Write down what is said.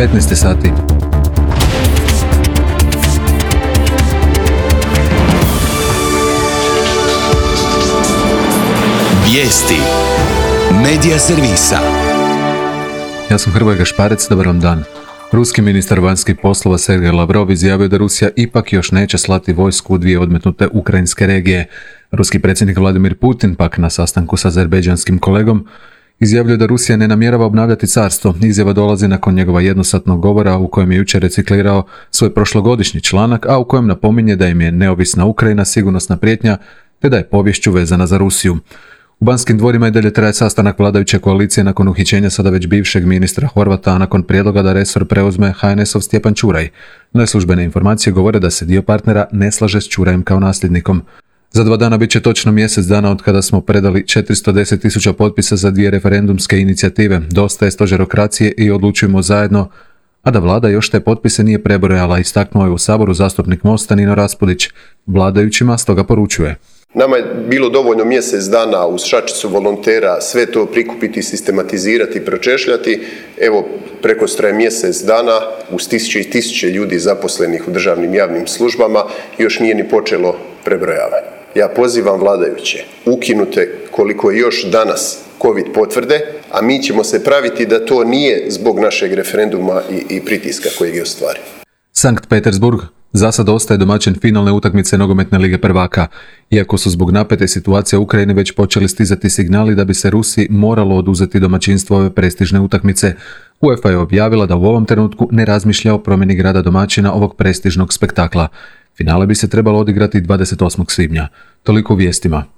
15 sati. Vijesti Medija servisa. Ja sam Hrvoje Gašparec, dobar vam dan. Ruski ministar vanjskih poslova Sergej Lavrov izjavio da Rusija ipak još neće slati vojsku u dvije odmetnute ukrajinske regije. Ruski predsjednik Vladimir Putin pak na sastanku s azerbejdžanskim kolegom izjavljuje da Rusija ne namjerava obnavljati carstvo. Izjava dolazi nakon njegova jednosatnog govora u kojem je jučer reciklirao svoj prošlogodišnji članak, a u kojem napominje da im je neovisna Ukrajina sigurnosna prijetnja te da je poviješću vezana za Rusiju. U Banskim dvorima i dalje traje sastanak vladajuće koalicije nakon uhićenja sada već bivšeg ministra Horvata, a nakon prijedloga da resor preuzme HNS-ov Stjepan Čuraj. Neslužbene informacije govore da se dio partnera ne slaže s Čurajem kao nasljednikom. Za 2 dana bit će točno mjesec dana od kada smo predali 410.000 potpisa za 2 referendumske inicijative. Dosta je stožerokracije i odlučujemo zajedno, a da vlada još te potpise nije prebrojala, istaknuo je u Saboru zastupnik Mosta Nino Raspudić. Vladajućima stoga poručuje: nama je bilo dovoljno mjesec dana uz šačicu volontera sve to prikupiti, sistematizirati, pročešljati. Evo, prekostraje mjesec dana uz tisuće i tisuće ljudi zaposlenih u državnim javnim službama još nije ni počelo prebrojavanje. Ja pozivam vladajuće, ukinute koliko je još danas COVID potvrde, a mi ćemo se praviti da to nije zbog našeg referenduma i pritiska kojeg je ostvario. Sankt Petersburg za sad ostaje domaćin finalne utakmice nogometne lige prvaka, iako su zbog napete situacije u Ukrajini već počeli stizati signali da bi se Rusiji moralo oduzeti domaćinstvo ove prestižne utakmice. UEFA je objavila da u ovom trenutku ne razmišlja o promjeni grada domaćina ovog prestižnog spektakla. Finale bi se trebalo odigrati 28. svibnja. Toliko u vijestima.